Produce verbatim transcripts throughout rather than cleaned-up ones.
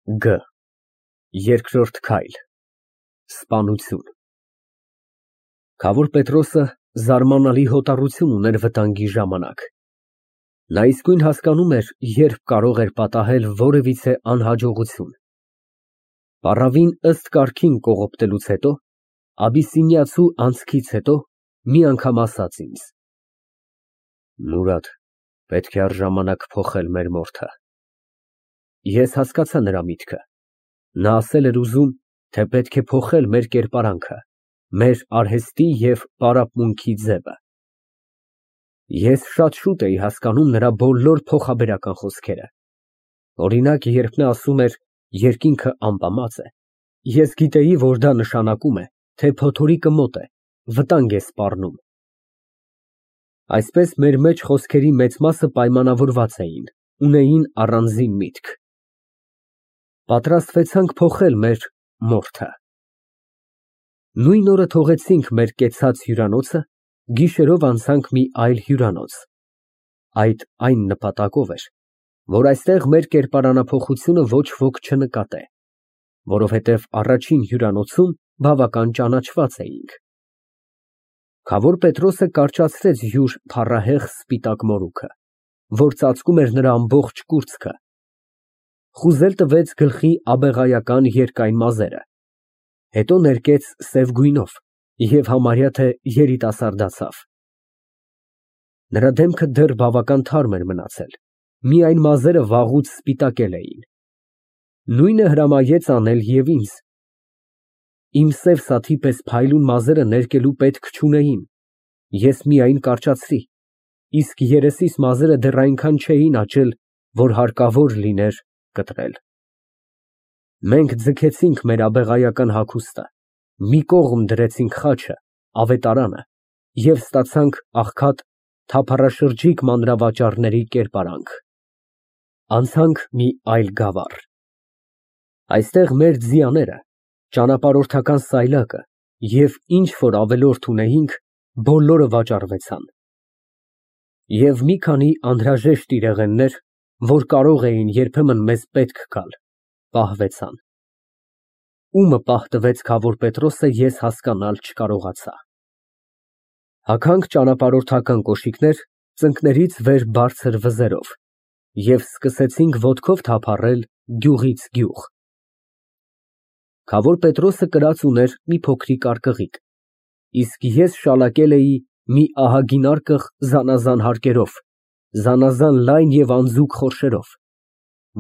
Գ Երկրորդ քայլ, սպանություն։ Քավոր Պետրոսը զարմանալի հոտառություն ուներ վտանգի ժամանակ։ Նա իսկույն հասկանում էր, երբ կարող էր պատահել որևիցե անհաջողություն։ Պառավին ըստ կարգին կողոպտելուց հետո, աբիսինիացու անցքից հետո մի անգամ ասաց ինձ. Մուրադ, պետք է առժամանակ փոխել մեր մորթը։ Ես հասկացա նրա միտքը։ Նա ասել էր ուզում, թե պետք է փոխել մեր կերպարանքը, մեր արհեստի և պարապմունքի ձևը։ Ես շատ շուտ էի հասկանում նրա բոլոր փոխաբերական խոսքերը։ Օրինակ, երբ նա ասում էր երկինքը ամպամած է, ես գիտեի, որ դա նշանակում է, թե փոթորիկը մոտ է, վտանգ է սպառնում։ Այսպես մեր մեջ խոսքերի մեծ մասը պայմանավորված էին, ունեին առանձին միտք։ Պատրաստվեցանք փոխել մեր մորթը։ Նույն օրը թողեցինք մեր կեցած հյուրանոցը, գիշերով անցանք մի այլ հյուրանոց։ Այդ այն նպատակով էր, որ այստեղ մեր կերպարանափոխությունը ոչ ոք չնկատե, որովհետև առաջին հյուրանոցում բավական ճանաչված էինք։ Քավոր Պետրոսը կարճացրեց յուր փառահեղ սպիտակ մորուքը, որ ծածկում էր նրա ամբողջ կուրծքը, խուզել տվեց գլխի աբեղայական երկայն մազերը, հետո ներկեց սև գույնով և համարյա թե երիտասարդացավ։ Նրա դեմքը դեռ բավական թարմ էր մնացել, միայն մազերը վաղուց սպիտակել էին։ Նույնը հրամայեց անել և ինձ։ Իմ սև սաթի պես փայլուն մազերը ներկելու պետք չունեին, ես միայն կարճացրի, իսկ երեսիս մազերը դեռ այնքան չէին աճել, որ հարկավոր լիներ կտրել։ Մենք ձգեցինք մեր աբեղայական հագուստը, մի կողմ դրեցինք խաչը, ավետարանը և ստացանք աղքատ թափառաշրջիկ մանրավաճառների կերպարանք։ Անցանք մի այլ գավառ։ Այստեղ մեր ձիաները, ճանապարհորդական սայլակը և ինչ որ ավելորդ ունեինք, բոլորը վաճառվեցան։ Եվ մի քանի անհրաժեշտ իրեղեններ, որ կարող էին երբեմն մեզ պետք գալ, պահվեցան։ Ումը պահվեց քավոր Պետրոսը, ես հասկանալ չկարողացա։ Հագանք ճանապարհորդական կոշիկներ, ծնկներից վեր բարձր վզերով և սկսեցինք ոտքով թափառել գյուղից գյուղ։ Քավոր Պետրոսը կրած ուներ մի փոքրիկ արկղիկ, իսկ ես շալակել էի մի ահագին արկղ զանազան հարկերով, զանազան լայն և անձուկ խորշերով,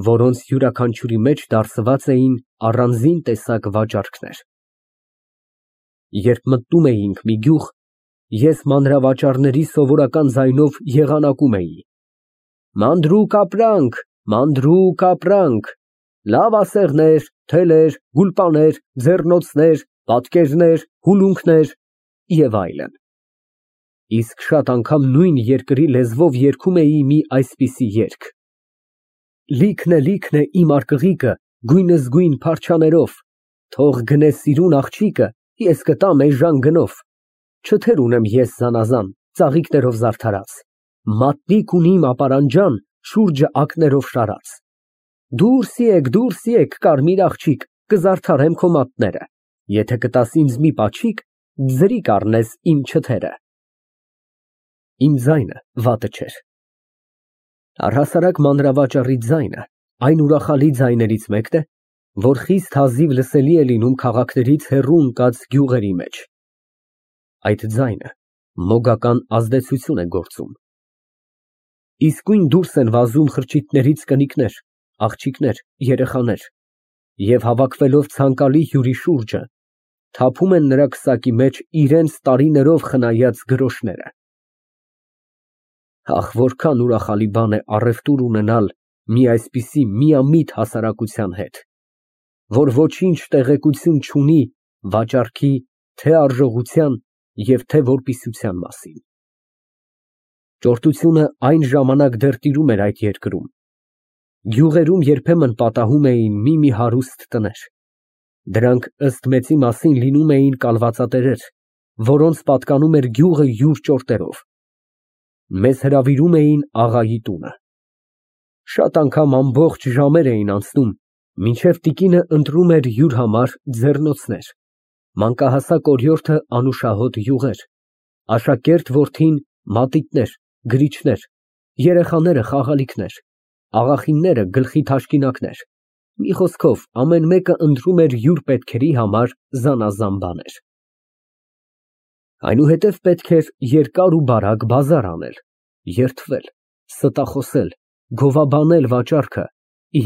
որոնց յուրաքանչյուրի մեջ դարսված էին առանձին տեսակ վաճառքներ։ Երբ մտնում էինք մի գյուղ, ես մանրավաճառների սովորական ձայնով եղանակում էի. Մանրուկ ապրանք, մանրուկ ապրանք, լավ ասեղներ, թելեր, գուլպաներ, ձեռնոցներ, պատկերներ, հուլունքներ և այլն։ Իսկ շատ անգամ նույն երկրի լեզվով երգում էի մի այսպիսի երգ. Լիքն է, լիքն է իմ արկղիկը, գույնզգույն փարչաներով, թող գնե սիրուն աղջիկը, ես կտամ էժան գնով, չթեր ունեմ ես զանազան, ծաղիկներով զարդարած, մատնիկ ունիմ ապարանջան, շուրջը ակներով շարած։ Դուրս եկ, դուրս եկ, կարմիր աղջիկ, կզարդարեմ քո մատները, եթե կտաս ինձ մի պաչիկ, ձրի կառնես իմ չթերը։ Իմ ձայնը վատը չէր։ Առհասարակ մանրավաճառի ձայնը այն ուրախալի ձայներից մեկն է, որ խիստ հազիվ լսելի է լինում քաղաքներից հեռու ընկած գյուղերի մեջ։ Այդ ձայնը մոգական ազդեցություն է գործում։ Իսկույն դուրս են վազում խրճիթներից կնիկներ, աղջիկներ, երեխաներ և հավաքվելով ցանկալի հյուրի շուրջը, թափում են նրա քսակի մեջ իրենց տարիներով խնայած գրոշները։ Ահ, որքան ուրախալի բան է առևտուր ունենալ մի այսպիսի միամիտ հասարակության հետ, որ ոչինչ տեղեկություն չունի վաճառքի թե արժողության և թե որպիսության մասին։ Ճորտությունը այն ժամանակ դեռ տիրում էր այդ երկրում։ Գյուղերում երբեմն պատահում էին մի֊մի հարուստ տներ։ Դրանք ըստ մեծի մասին լինում էին կալվածատերեր, որոնց պատկանում էր գյուղը յուր ճորտերով։ Մեզ հրավիրում էին աղայի տունը։ Շատ անգամ ամբողջ ժամեր էին անցնում, Մինչև տիկինը ընտրում էր յուր համար ձեռնոցներ, մանկահասակ օրիորդը անուշահոտ յուղեր, աշակերտ որդին մատիտներ, գրիչներ, երեխաները խաղալիքներ, աղախինները գլխի թաշկինակներ, մի խոսքով ամեն մեկը ընտրում էր յուր պետքերի համար զանազան բաներ։ Այնուհետև պետք էր երկար ու բարակ բազար անել, երդվել, ստախոսել, գովաբանել վաճառքը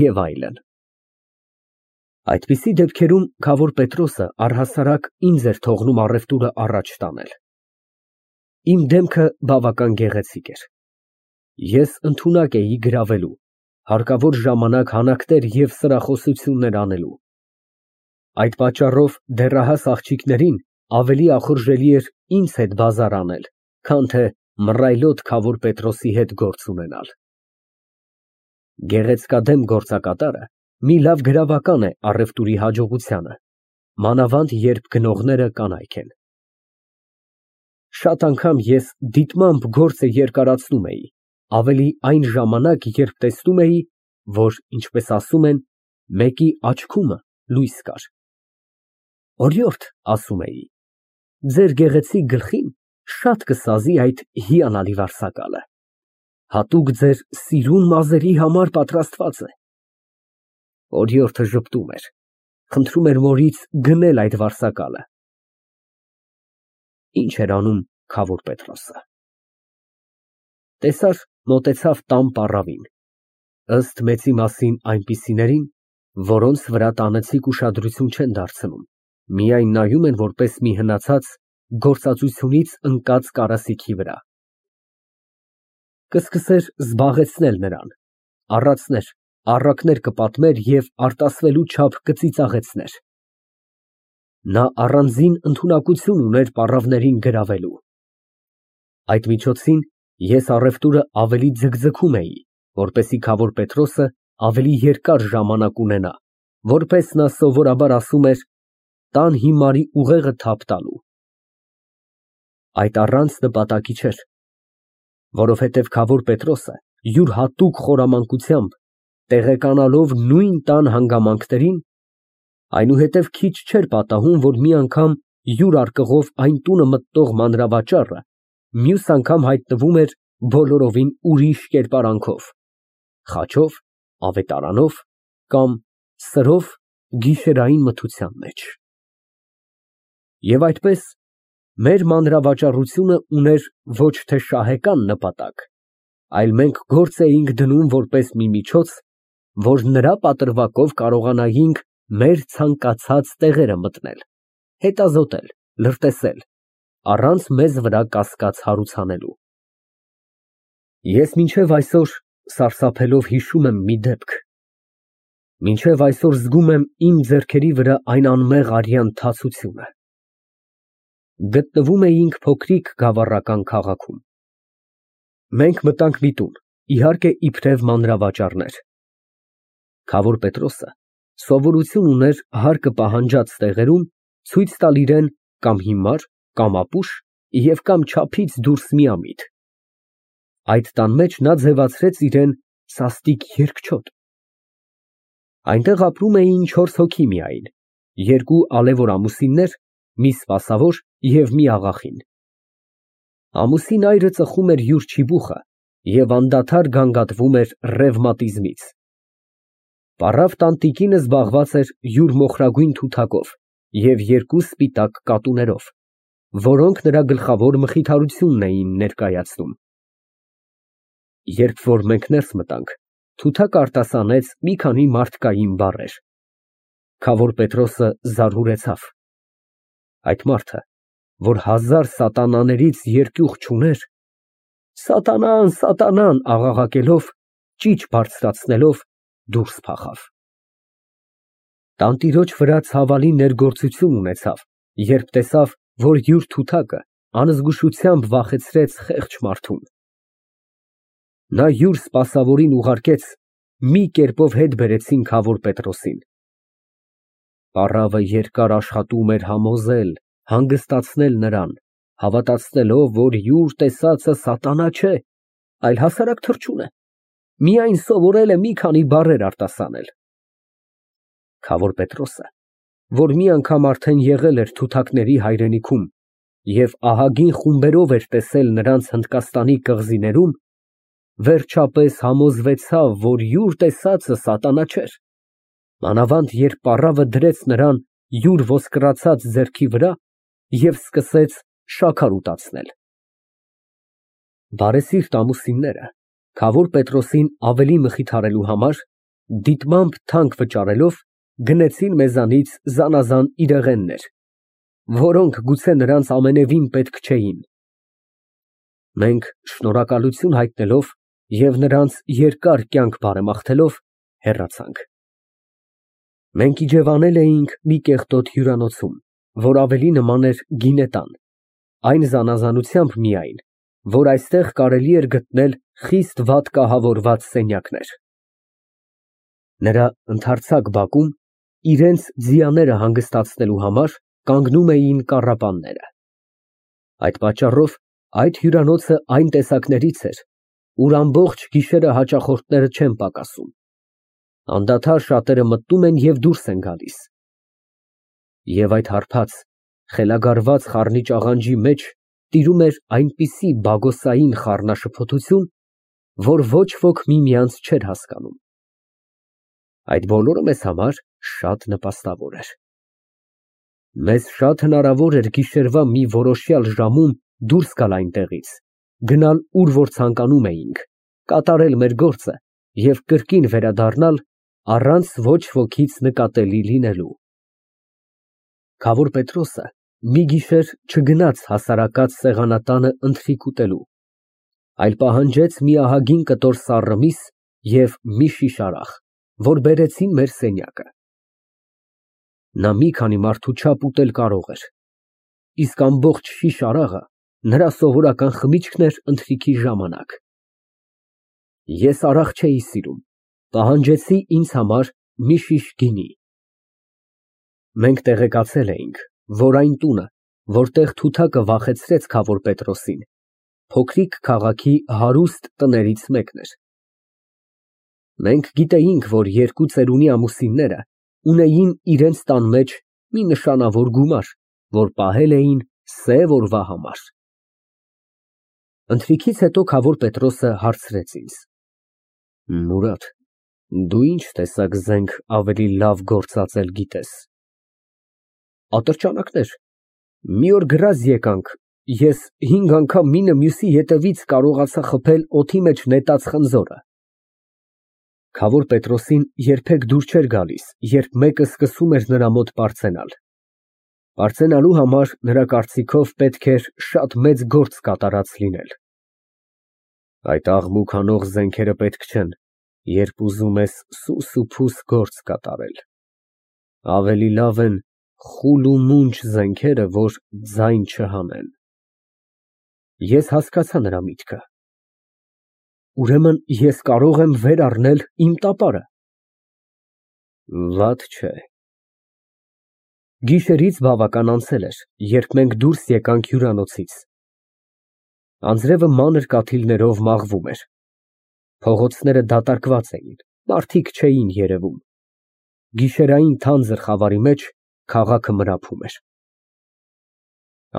և այլն։ Այդպիսի դեպքերում քավոր Պետրոսը առհասարակ ինձ էր թողնում առևտուրը առաջ տանել։ Իմ դեմքը բավական գեղեցիկ էր։ Ես ընդունակ էի գրավելու, հարկավոր ժամանակ հանակներ և սրախոսություններ անելու։ Այդ պատճառով դեռահաս աղջիկներին ավելի ախորժելի էր ինձ հետ բազար անել, քան թե մռայլոտ քավոր Պետրոսի հետ գործ ունենալ։ Գեղեցկադեմ գործակատարը մի լավ գրավական է առևտուրի հաջողությանը, մանավանդ երբ գնողները կանայք են։ Շատ անգամ ես դիտմամբ գործը երկարացնում էի, ավելի այն ժամանակ, երբ տեսնում էի, որ, ինչպես ասում են, մեկի աչքումը լույս կար։ Օրիորդ, ասում էի, ձեր գեղեցիկ գլխին շատ կսազի այդ հիանալի վարսակալը, հատուկ ձեր սիրուն մազերի համար պատրաստված է։ Օրիորդը ժպտում էր, խնդրում էր մորից գնել այդ վարսակալը։ Ինչ էր անում քավոր Պետրոսը։ Տեսար, մոտեցավ տան պառավին, ըստ մեծի մասին այնպիսիներին, որոնց վրա տանեցիք ուշադրություն չեն դարձնում, միայն նայում են որպես մի հնացած, գործածությունից ընկած կարասիքի վրա։ Կսկսեր զբաղեցնել նրան, առածներ, առակներ կպատմեր և արտասվելու չափ կծիծաղեցներ։ Նա առանձին ընդունակություն ուներ պառավներին գրավելու։ Այդ միջոցին ես առևտուրը ավելի ձգձգում էի, որպեսզի քավոր Պետրոսը ավելի երկար ժամանակ ունենա, որպես նա սովորաբար ասում էր, տան հիմարի ուղեղը թափ տալու։ Այդ առանց նպատակի չէր, որովհետև քավոր Պետրոսը յուր հատուկ խորամանկությամբ, տեղեկանալով նույն տան հանգամանքներին, այնուհետև քիչ չէր պատահում, որ մի անգամ յուր արկղով այն տունը մտնող մանրավաճառը մյուս անգամ հայտնվում էր բոլորովին ուրիշ կերպարանքով, խաչով, ավետարանով կամ սրով գիշերային մթության մեջ։ Եվ այդպես մեր մանրավաճառությունը ուներ ոչ թե շահեկան նպատակ, այլ մենք գործ էինք դնում որպես մի միջոց, որ նրա պատրվակով կարողանայինք մեր ցանկացած տեղերը մտնել, հետազոտել, լրտեսել, առանց մեզ վրա կասկած հարուցանելու։ Ես մինչև այսօր սարսափելով հիշում եմ մի դեպք, մինչև այսօր զգում եմ իմ ձեռքերի վրա այն անմեղ արյան թացությունը։ Գտնվում էինք փոքրիկ գավառական քաղաքում։ Մենք մտանք մի տուն, իհարկե իբրև մանրավաճառներ։ Քավոր Պետրոսը սովորություն ուներ հարկը պահանջած տեղերում ցույց տալ իրան կամ հիմար, կամ ապուշ և կամ չափից դուրս միամիտ։ Այդ տան մեջ նա ձևացրեց իրան սաստիկ երկչոտ։ Այնտեղ ապրում էին չորս հոգի միայն, երկու ալևոր ամուսիններ, մի սպասավոր և մի աղախին։ Ամուսին այրը ծխում էր յուր չիբուխը և անդադար գանգատվում էր ռևմատիզմից։ Պառավ տանտիկինը զբաղված էր յուր մոխրագույն թութակով և երկու սպիտակ կատուներով, որոնք նրա գլխավոր մխիթարությունն էին ներկայացնում։ Երբ որ մենք ներս մտանք, թութակը արտասանեց մի քանի մարդկային բառեր։ Քավոր Պետրոսը զարհուրեցավ։ Այդ մարդը, որ հազար սատանաներից երկյուղ չուներ, սատանան, սատանան աղաղակելով, ճիչ բարձրացնելով, դուրս փախավ։ Տանտիրոջ վրա ցավալի ներգործություն ունեցավ, երբ տեսավ, որ յուր թութակը անզգուշությամբ վախեցրեց խեղճ մարդուն։ Նա յուր սպասավորին ուղարկեց, մի կերպով հետ բերեցին քավոր Պետրոսին։ Պառավը երկար աշխատում էր համոզել, հանգստացնել նրան, հավատացնելով, որ յուր տեսածը սատանա չէ, այլ հասարակ թռչուն է, միայն սովորել է մի քանի բառեր արտասանել։ Քավոր Պետրոսը, որ մի անգամ արդեն եղել էր թութակների հայրենիքում և ահագին խումբերով էր տեսել նրանց Հնդկաստանի կղզիներում, վերջապես համոզվեցավ, որ յուր տեսածը սատանա չէր, մանավանդ երբ պառավը դրեց նրան յուր ոսկրացած ձեռքի վրա և սկսեց շաքար ուտացնել։ Բարեսիրտ ամուսինները, Քավոր Պետրոսին ավելի մխիթարելու համար, դիտմամբ թանկ վճարելով, գնեցին մեզանից զանազան իրեղեններ, որոնք գուցե նրանց ամենևին պետք չէին։ Մենք շնորհակալություն հայտնելով և նրանց երկար կյանք բարեմաղթելով, հեռացանք։ Մենք իջևանել էինք մի կեղտոտ հյուրանոցում, որ ավելի նման էր գինետան, այն զանազանությամբ միայն, որ այստեղ կարելի էր գտնել խիստ վատ կահավորված սենյակներ։ Նրա ընդարձակ բակում իրենց ձիաները հանգստացնելու համար կանգնում էին կառապանները։ Այդ պատճառով այդ հյուրանոցը այն տեսակներից էր, ուր ամբողջ գիշերը հաճախորդները չեն պակասում, անդադար շատերը մտնում են և դուրս են գալիս։ Եվ այդ հարբած, խելագարված խառնիչ աղանջի մեջ տիրում էր այնպիսի բագոսային խառնաշփոթություն, որ ոչ ոք միմյանց չէր հասկանում։ Այդ բոլորը մեզ համար շատ նպաստավոր էր։ Մեզ շատ հնարավոր էր գիշերվա մի որոշյալ ժամում դուրս գալ այնտեղից, գնալ ուր որ ցանկանում էինք, կատարել մեր գործը և կրկին վերադառնալ առանց ոչ ոքից նկատելի լինելու։ Քավոր Պետրոսը մի գիշեր չգնաց հասարակած սեղանատանը ընթրիք ուտելու, այլ պահանջեց մի ահագին կտոր սառը միս և մի շիշ արախ, որ բերեցին մեր սենյակը։ Նա մի քանի մարդու չափ ուտել կարող էր, իսկ ամբողջ շիշ արաղը նրա սովորական խմիչքն էր ընթրիքի ժամանակ։ Ես արաղ չէի սիրում, պահանջեցի ինձ համար մի շիշ գինի։ Մենք տեղեկացել էինք, որ այն տունը, որտեղ թութակը վախեցրեց Քավոր Պետրոսին, փոքրիկ քաղաքի հարուստ տներից մեկն էր։ Մենք գիտեինք, որ երկու ծերունի ամուսինները ունեին իրենց տան մեջ մի նշանավոր գումար, որ պահել էին սև օրվա համար։ Ընթրիքից հետո Քավոր Պետրոսը հարցրեց ինձ. Մուրադ, դու ինչ տեսակ զենք ավելի լավ գործածել գիտես։ Ատրճանակներ, մի օր գրազ եկանք, ես հինգ անգամ մինը մյուսի ետևից կարողացա խփել օդի մեջ նետած խնձորը։ Քավոր Պետրոսին երբեք դուր չէր գալիս, երբ մեկը սկսում էր նրա մոտ պարծենալ։ Պարծենալու համար նրա կարծիքով պետք էր շատ մեծ գործ կատարած լինել։ Այդ աղմուկ անող զենքերը պետք չեն, երբ ուզում ես սուս ու փուս գործ կատարել։ Ավելի լավ են խուլ ու մունջ զենքերը, որ ձայն չհանեն։ Ես հասկացա նրա միտքը։ Ուրեմն ես կարող եմ վեր առնել իմ տապարը։ Վատ չէ։ Գիշերից բավական անցել էր, երբ մենք դուրս եկանք հյուրանոցից։ Անձրևը մանր կաթիլներով մաղվում էր։ Փողոցները դատարկված էին, մարդիկ չէին երևում։ Գիշերային թանձր խավարի մեջ քաղաքը մրափում էր։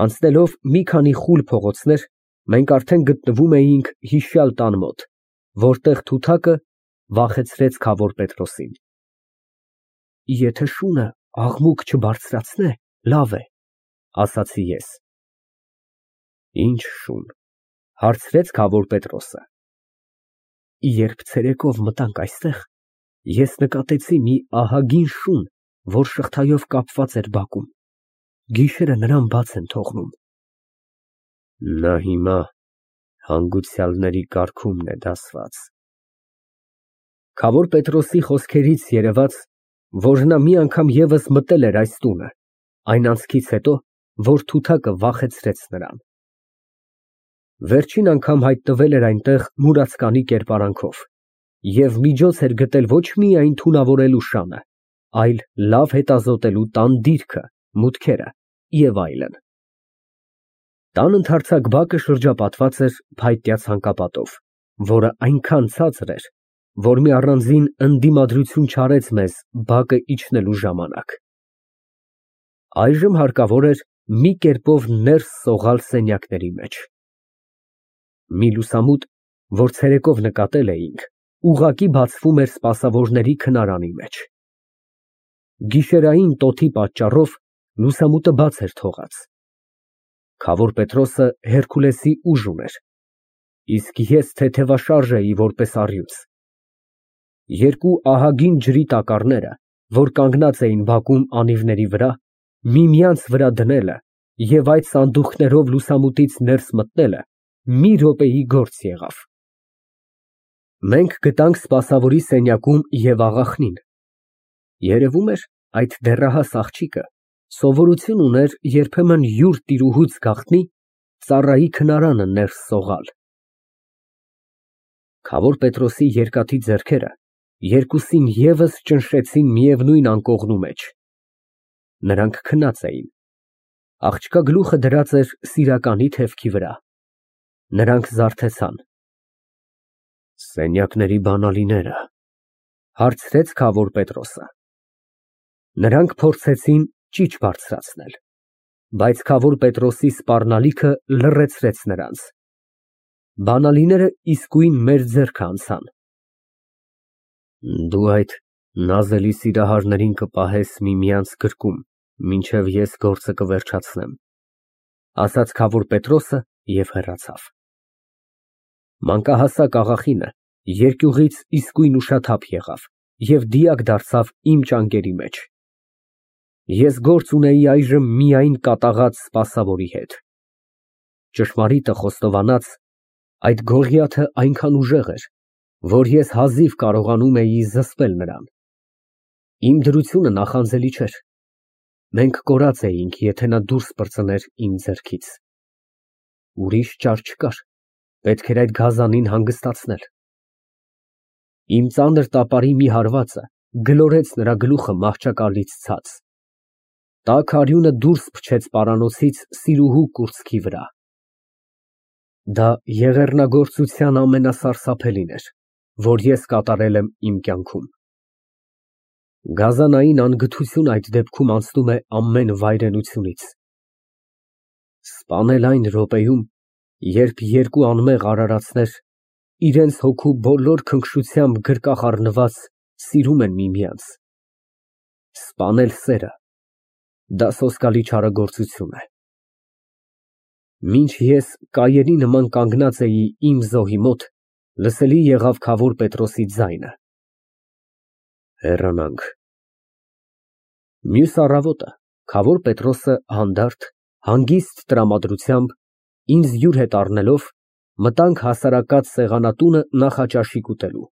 Անցնելով մի քանի խուլ փողոցներ, մենք արդեն գտնվում էինք հիշյալ տան մոտ, որտեղ թութակը վախեցրեց Քավոր Պետրոսին։ Եթե շունը աղմուկ չբարձրացնե, լավ է, ասացի ես։ Ինչ շուն, հարցրեց Քավոր Պետրոսը։ Երբ ցերեկով մտանք այստեղ, ես նկատեցի մի ահագին շուն, որ շղթայով կապված էր բակում։ Գիշերը նրան բաց են թողնում։ Նա հիմա հանգուցյալների կարգումն է դասված։ Քավոր Պետրոսի խոսքերից երևաց, որ նա մի անգամ ևս մտել էր այս տունը, այն անցքից հետո, որ թութակը վախեցրեց նրան։ Վերջին անգամ հայտնվել էր այնտեղ մուրացկանի կերպարանքով և միջոց էր գտել ոչ միայն թունավորելու շանը, այլ լավ հետազոտելու տան դիրքը, մուտքերը և այլն։ Տան ընդարձակ բակը շրջապատված էր փայտյա ցանկապատով, որը այնքան ցածր էր, որ մի առանձին ընդդիմադրություն չարեց մեզ բակը իջնելու ժամանակ։ Այժմ հարկավոր էր մի կերպով ներս սողալ սենյակների մեջ։ Մի լուսամուտ, որ ցերեկով նկատել էինք, ուղղակի բացվում էր սպասավորների քնարանի մեջ։ Գիշերային տոթի պատճառով լուսամուտը բաց էր թողած։ Քավոր Պետրոսը Հերկուլեսի ուժ ուներ, իսկ ես թեթևաշարժ էի որպես առյուծ։ Երկու ահագին ջրի տակառները, որ կանգնած էին բակում անիվների վրա, միմյանց վրա դնելը և այդ սանդուղքներով լուսամուտից ներս մտնելը մի րոպեի գործ եղավ։ Մենք գտանք սպասավորի սենյակում և աղախնին։ Երևում էր, այդ դեռահաս աղջիկը սովորություն ուներ երբեմն յուր տիրուհուց գաղտնի ծառայի քնարանը ներս սողալ։ Քավոր Պետրոսի երկաթի ձեռքերը երկուսին ևս ճնշեցին միևնույն անկողնու մեջ։ Նրանք քնած էին։ Աղջկա գլուխը դրած էր սիրականի թևքի վրա։ Նրանք զարթեցան։ Սենյակների բանալիները, հարցրեց քավոր Պետրոսը։ Նրանք փորձեցին ճիչ բարձրացնել, բայց քավոր Պետրոսի սպառնալիքը լռեցրեց նրանց։ Բանալիները իսկույն մեր ձեռքը անցան։ Դու այդ նազելի սիրահարներին կպահես միմյանց գրկում, մինչև ես գործը կվերջացնեմ, ասաց քավոր Պետրոսը և հեռացավ։ Մանկահասակ աղախինը երկյուղից իսկույն ուշաթափ եղավ և դիակ դարձավ իմ ճանկերի մեջ։ Ես գործ ունեի այժմ միայն կատաղած սպասավորի հետ։ Ճշմարիտը խոստովանած, այդ Գողիաթը այնքան ուժեղ էր, որ ես հազիվ կարողանում էի զսպել նրան։ Իմ դրությունը նախանձելի չէր։ Մենք կորած էինք, եթե նա դուրս պրծներ իմ ձեռքից։ Ուրիշ ճար չկար, պետք էր այդ գազանին հանգստացնել։ Իմ ծանր տապարի մի հարվածը գլորեց նրա գլուխը մահճակալից ցած։ Տաք արյունը դուրս փչեց պարանոցից սիրուհու կուրծքի վրա։ Դա եղեռնագործության ամենասարսափելին էր, որ ես կատարել եմ իմ կյանքում։ Գազանային անգթություն այդ դեպքում անցնում է ամեն վայրենությունից։ Սպանել այն րոպեում, երբ երկու անմեղ արարածներ, իրենց հոգու բոլոր քնքշությամբ գրկախ առնված, սիրում են միմյանց։ Սպանել սերը, դա սոսկալի չարագործություն է։ Մինչ ես կայերի նման կանգնած էի իմ զոհի մոտ, լսելի եղավ քավոր Պետրոսի ձայնը. Հեռանանք։ Մյուս առավոտը քավոր Պետրոսը հանդարտ, հանգիստ տրամադրությամբ, ինձ յուր հետ առնելով, մտանք հասարակած սեղանատունը նախաճաշիկ ուտելու։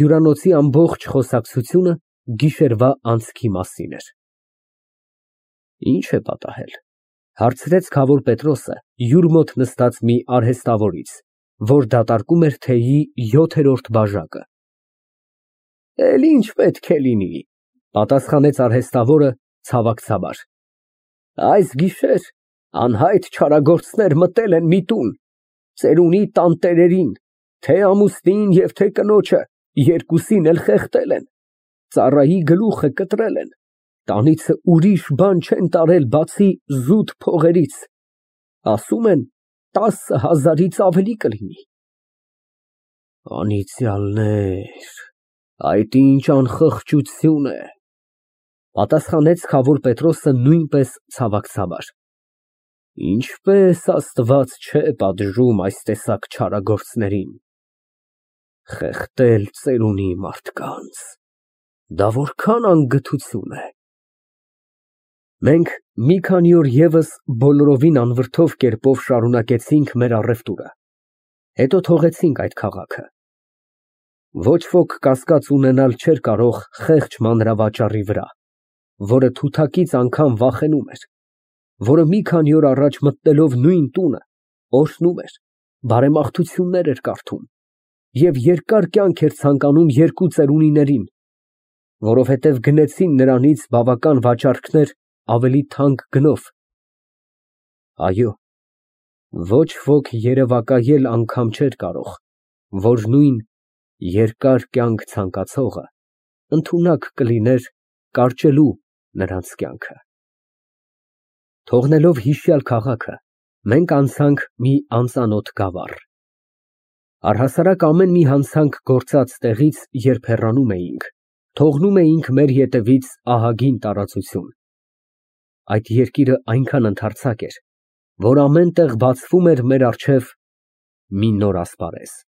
Հյուրանոցի ամբողջ խոսակցությունը գիշերվա անցքի մասին էր։ Ինչ է պատահել, հարցրեց քավոր Պետրոսը յուր մոտ նստած մի արհեստավորից, որ դատարկում էր թեյի յոթերորդ բաժակը։ Էլ ինչ պետք է լինի, պատասխանեց արհեստավորը ցավակցաբար։ Այս գիշեր անհայտ չարագործներ մտել են մի տուն, ծերունի տանտերերին, թե ամուսնին և թե կնոջը, երկուսին էլ խեղդել են, ծառայի գլուխը կտրել են, տանիցը ուրիշ բան չեն տարել, բացի զուտ փողերից, ասում են տասը հազարից ավելի կլինի։ Անիծյալներ, այդ ինչ անխղճություն է, պատասխանեց քավոր Պետրոսը նույնպես ցավակցաբար։ Ինչպես Աստված չէ պատժում այս տեսակ չարագործներին։ Խեղդել ծերունի մարդկանց, դա որքան անգթություն է։ Մենք մի քանի օր ևս բոլորովին անվրդով կերպով շարունակեցինք մեր առևտուրը, հետո թողեցինք այդ քաղաքը։ Ոչ ոք կասկած ունենալ չէր կարող խեղճ մանրավաճառի վրա, որը թութակից անգամ վախենում էր, որը մի քանի օր առաջ մտնելով նույն տունը, օրհնում էր, բարեմաղթություններ էր կարդում և երկար կյանք էր ցանկանում երկու ծերունիներին, որովհետև գնեցին նրանից բավական վաճառքներ ավելի թանկ գնով։ Այո, ոչ ոք երևակայել անգամ չէր կարող, որ նույն Երկար կյանք ցանկացողը ընդունակ կլիներ կարճելու նրանց կյանքը։ Թողնելով հիշյալ քաղաքը, մենք անցանք մի անծանոթ գավառ։ Առհասարակ ամեն մի հանցանք գործած տեղից, երբ հեռանում էինք, թողնում էինք մեր հետևից ահագին տարածություն։ Այդ երկիրը այնքան ընդարձակ էր, որ ամեն տեղ բացվում էր մեր առջև մի նոր ասպարեզ։